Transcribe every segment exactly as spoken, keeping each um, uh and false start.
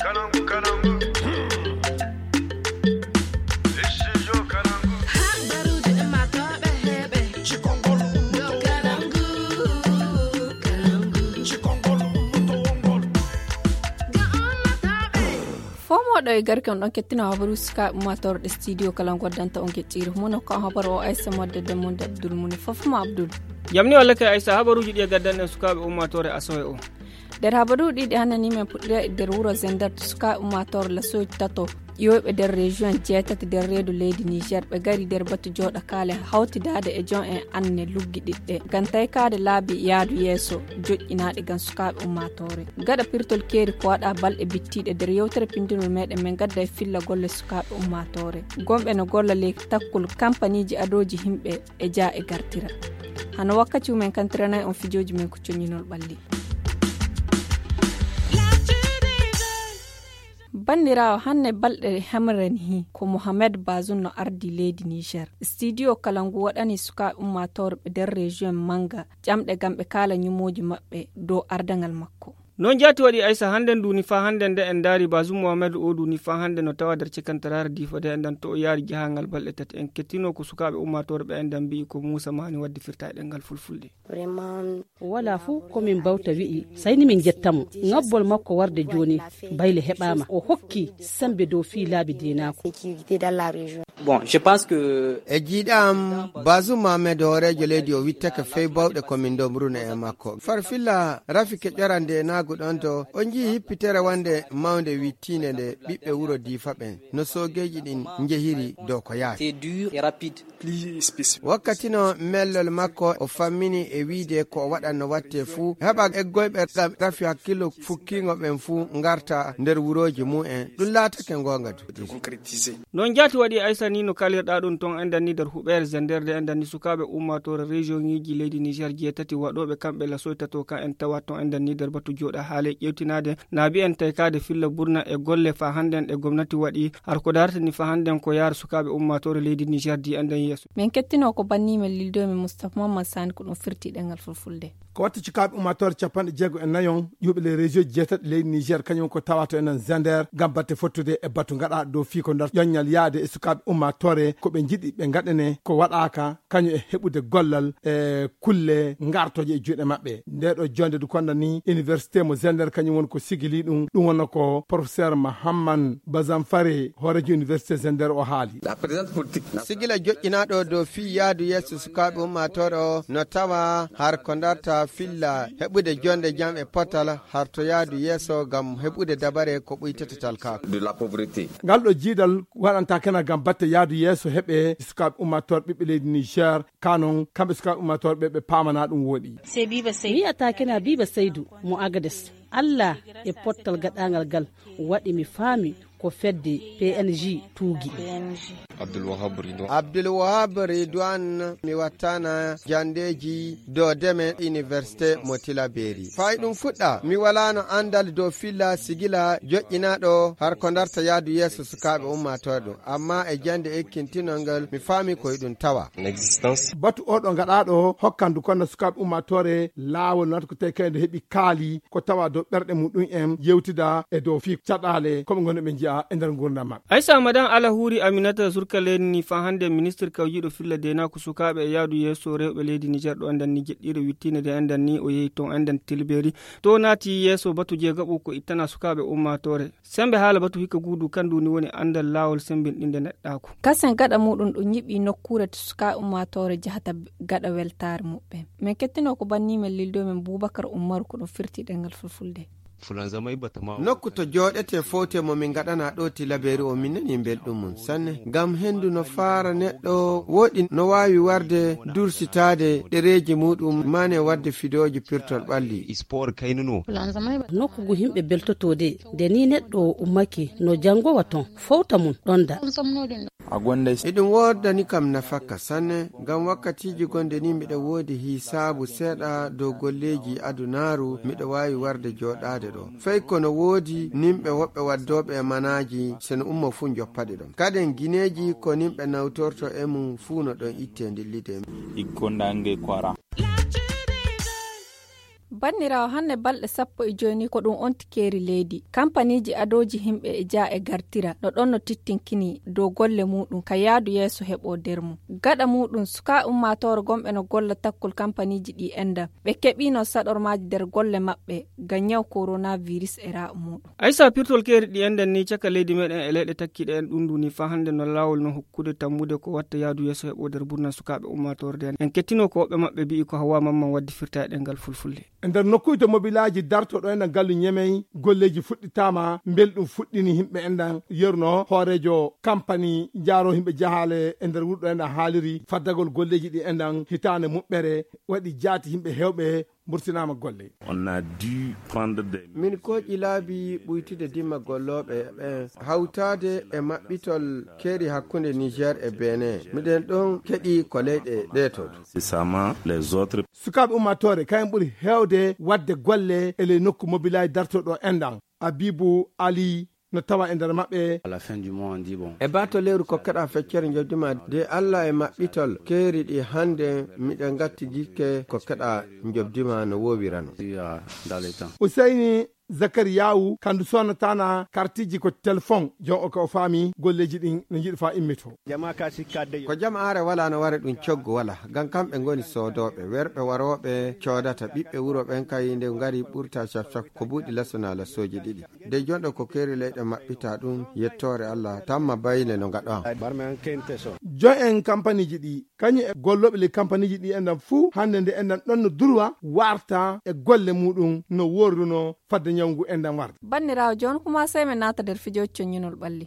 Fomoɗo e garke on ɗon kettino habaru sukaaɓe ummaatoore ɗe studio kala goddanta on geɗɗiire mum ko habaru o aysa modde de monde abdul muni fof mo abdul. Jamni walla kay aysa habaruuji ɗi e gaddanɗen sukaaɓe ummaatoore asowe o. Nder habaruuji ɗi hannde ni men puɗɗira e nder wuro zender to sukaaɓe ummaatoore lasoji tato ƴiwoyɓe nder région jeetati nder reedu leydi niger ɓe gari nder batu jooɗakaale hawtidaade e joom en anne luggiɗiɗɗe ngam taykaade laabi yaadu yeeso joƴƴinaaɗe ngam sukaaɓe ummaatoore. Gaɗa pirtol keeri ko waɗa balɗe bittiiɗe nder yewtere pindunol meɗen men gadda e filla golle sukaaɓe ummaatoore gonɓe no golla ley takkol kampaniiji adooji himɓe e jaa e gartira. Hano wakkati umen kantiranay on fijooji men ko coñinol ɓalli. Banndiraawo, hannde balɗe hemrani hi ko mohamed bazum no ardi leydi niger studio kala ngu waɗani sukaaɓe ummaatoore ɓe nder région mannga ƴamɗe ngam ɓe kaala ñumooji maɓɓe dow ardangal makko. Noon jaati waɗi aysa hannden duuni faa hannden nde en ndaari bazum mohamed o duuni faa hannden no tawa nder cekantaraare diifa de enɗan to o yaari jahangal balɗe tati en kettino ko sukaaɓe ummaatoore ɓe enɗan mbi'i ko muusa maani waɗde firta e ɗemngal fulfulde. Wala fuu ko min mbawta wi'i sayni min njetta mo ŋabbol makko warde jooni. Bayle heɓaama o hokki semmbe dow fii laabi deenaaku. Bon, je pense que e jiiɗa am bazum mohamed hooreejo leydi o wittake fey bawɗe ko min ndomruno e makko farfilla rafi keƴora ndenaagu ɗon to o njii hippitere wonde mawnde wittiinde nde ɓiɓɓe wuro diifa ɓen no soogeeji ɗin njehiri dow ko yaaki. Wakkati no mellol makko o fammini e wiide ko o waɗanno watte fuu heɓa eggoyɓe ngam rafi hakkillo fukkiingo ɓen fuu ngarta nder wurooji mum en ɗum laatake ngoonga du. Noon jaati waɗi aysa ni no kalirɗa ɗum ton enɗan ni nder huɓeere zender de enɗan ni sukaaɓe ummaatoore région ŋiiji leydi niger jeetati waɗooɓe kamɓe lasoytato kan en tawa ton enɗan ni nder batu jooɗa haale ƴewtinaade naabi en taykaade filla burna e golle faa hannden ɗe gomnati waɗi har ko dartani faa hannden ko yaara sukaaɓe ummaatoore leydi niger di enɗan yeeso. Min kettino ko banni men lildo men moustapha mamadou sani ko ɗum firti ɗengal fulfulde. Ko watti cukaaɓe ummaatoore capanɗe jeego e nayon ƴuuɓe les région jeetaɗi leydi niger kañum ko tawato enen zender ngam batte fottude e batu ngaɗa dow fii ko nder ƴoññal yaade e sukaaɓe ummaatoore ko ɓe njiɗi ɓe ngaɗane ko waɗaaka kañum e heɓude gollal e kulle ngartoje e juuɗe maɓɓe. Nde ɗo jonde du konda ni université mo zender kañum woni ko sigili ɗum ɗum wonno ko professeur mahamman bazamfare hoorejo université zender o haali. Sigila joƴƴinaaɗo dow fii yaadu yeeso sukaaɓe ummaatoore o no tawa har ko darta filla heɓude jonde jam e potal har to yaadu yeeso ngam heɓude dabare ko ɓuytata talkaaku. Ngal ɗo jiidal waɗanta kena ngam batte yaadu yeeso heɓe sukaaɓe ummaatoore ɓiɓɓe leydi niger ka noon kamɓe sukaaɓe ummaatoore ɓe ɓe paamana ɗum wooɗi. Mi wiyata kena biba seydu mo agades allah e pottal gaɗangal ngal waɗi mi faami ko fedde png tuugi. Abdulwahab ridwan mi wattana jandeeji dow deme université mo tilaberi fay ɗum fuɗɗa mi walaano anndal dow filla sigila joƴƴinaaɗo har ko darta yaadu yeeso sukaaɓe ummaatoore ɗum amma e jannde ekkintinol ngal mi faami ko e ɗum tawa. Batu oɗo ngaɗaɗo hokkandu kono sukaaɓe ummaatoore laawol nata ko tawi kayde heɓi kaali ko tawa dow ɓerɗe muɗum en yewtida e dow fii caɗaale koɓe ngoni ɓe njiya e nder ngurdam maɓɓe. Aysa madan ala huuri aminata surka leydi ni fa hannde ministre kawjiiɗo filla deenaaku sukaaɓe e yaadu yeeso rewɓe leydi niger ɗo enɗan ni jeɗɗiire wittiinde de enɗan ni o yehi toon enɗan tilbeeri to naati yeeso batu jeegaɓo ko ittana sukaaɓe ummaatoore. Semmbe haala batu hikka guudu kandu ni woni anndal laawol semmbinɗinde neɗɗaaku. Kasen gaɗa muɗum ɗum ñiɓi nokkuure to sukaaɓe ummaatoore jahata gaɗa weltaare muɓɓen. Min kettino ko banni men lildo men bubakar ummaru ko ɗum firti ɗengal fulfulde. Nokku to jooɗete fowte mo min ngaɗana ɗo tilabeeri o min nani belɗum mum sanne ngam henndu no faara neɗɗo wooɗi no waawi warde dursitaade ɗereeji muɗum mane waɗde fidooji pirtol ɓalli. Nokku ngu yimɓe beltotoo de nde ni neɗɗo ummake no janngowa ton fowta mum ɗonda. Eɗum woodani kam nafakka sanne ngam wakkatiiji gonɗe ni miɗa woodi hisaabu seeɗa dow golleeji adunaaru miɗa waawi warde jooɗaade ɗo fay kono woodi nimɓe woɓɓe waddooɓe e manaaji seno ummo fuu njoppaɗe ɗon kaden gineeji ko nimɓe nawtorto e mum fuu no ɗon itte ndillide. Iggondaange ko ara. Banniraawo, hannde balɗe sappo e joy ni ko ɗum onti keeri leydi. Kampaniiji adooji yimɓe e jaa e gartira no ɗon no tittinkini dow golle muuɗum ka yaadu yeeso heɓo nder mum. Gaɗa muuɗum, sukaaɓe ummaatoore gonɓe no golla takkol kampaniiji ɗi enɗan ɓe keɓiino saɗormaaji nder golle maɓɓe ngam ñaw koronaavirus e raaɓo muuɗum. Aysa, pirtol keeri ɗi enɗan ni caka leydi meɗen e leyɗe takkiiɗe en ɗum ndu ni faa hannde no laawol no hokkude tammude ko watta yaadu yeeso heɓo nder burna sukaaɓe ummaatoore nden. En kettino ko woɓɓe maɓɓe mbi'i ko Hawwa Mamman waddi firta e ɗemngal fulfulde. E nder nokkuuje to mobilaaji dartooɗo enɗan gallu Ñemey, golleeji fuɗɗitaama, mbelɗum fuɗɗini yimɓe enɗan, yerno hooreejo kampani jaaro yimɓe jahaale e nder wuro ɗo enɗan haaliri, faddagol golleeji ɗi enɗan hitaande muɓɓere waɗi jaati yimɓe heewɓe mburtinaama golle. On a dû prendre des Min kooƴi laabi ɓuytude dimma gollooɓe ɓen, hawtaade e maɓɓitol keeri hakkunde Niger e Benin. Miɗen ɗon keɗi ko leyɗe ɗee to. Incessamment les autres. Sukaaɓe ummaatoore kayen ɓuri heewde waɗde golle e ley nokku mobilaaji dartooɗo enɗan. Abibu Ali no tawa e nder maɓɓe. À la fin du mois, on dit, bon. E baato lewru kokkeɗa feccere njoɓdi ma de Alla e maɓɓitol keeri ɗi hannde miɗen ngatti jikke kokkeɗa njoɓdi ma no woowirano. Dans le temps. Useyni Zakariyaawu, kandu sonnataana kartiji ko telefon, jon o ka o faami golleeji ɗin no njiɗi faa immito. Ko jamaare wala no wara ɗum coggu wala, ngam kamɓe ngoni soodooɓe, werɓe warooɓe coodata, ɓiɓɓe wuro ɓen kay nde ngari ɓurta caf caf ko buuɗi lasuna lasooji ɗiɗi. De jonɗo ko keeri leyɗe maɓɓita ɗum, yettoore Alla, tamma bayle no ngaɗo am. Jon en kampaniiji ɗi, kañum e gollooɓe ley kampaniiji ɗi enɗan fuu, hannde nde enɗan ɗon no durwa warta e golle muuɗum no worruno fadde ñawngu enɗan warde. Banniraawo, jooni kuma sey men naata nder fijooji coññinol ɓalli.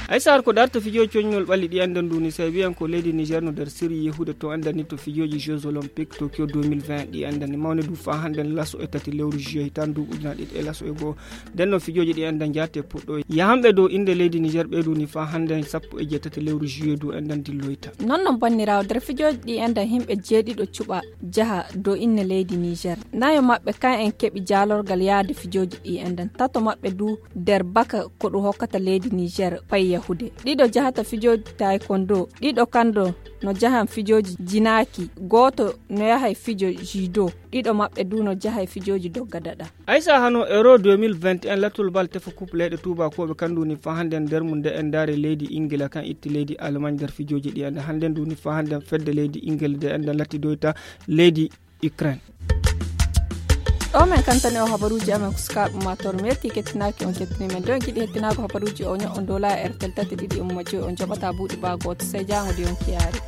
Ay Saar, ko darta fijooji coññinol ɓalli ɗi enɗan ndu ni, sey wi'en ko leydi Niger no nder sirri yehude to enɗan ni to fijooji Jeux Olympiques Tokyo deux mille vingt ɗi enɗan ni mawni du faa hannde laso e tati lewru juillet hitaande ndu ujunaaji ɗiɗi e laso e goo. Nden no fijooji ɗi enɗan jaate puɗɗo yahanɓe dow innde leydi Niger ɓeydu ni faa hannde sappo e jeetati lewru juillet du enɗan dilloyta. Non non banniraawo, nder fijooji ɗi enɗan yimɓe jeeɗiɗo cuɓa jaha dow inne leydi Niger. Nayo maɓɓe kan en keɓi jaalorgal yaade fijooji ɗi enɗan. Tato maɓɓe du nder baka ko ɗum hokkata leydi Niger pay yahude. Ɗiɗo jahata fijooji taekwondo, ɗiɗo kando no jahan fijooji jinaaki, gooto no yahay fijo judo, ɗiɗo maɓɓe du no jahay fijooji dogga daɗa. Aysa, hano Euro deux mille vingt et un, lattol bal tefa coupe leyɗe tuubakooɓe kan ndu ni faa hannde nder mum nde en ndaare leydi Ingila kan itti leydi Allemagne nder fijooji ɗi enɗan hannde ndu ni faa hannde fedde leydi Ingila nde enɗan lattidoyta leydi Ukraine. Ɗo men kantani o habaruuji amen ko sukaaɓe ummaatoore. Mi yetti kettinaaki on kettini men. Ɗo en giɗi hettinaago habaruuji o ño'o ndola e R T L tati ɗiɗi umma joyi on joɓata buuɗi baa gooto. Sey jaango di on kiyaari.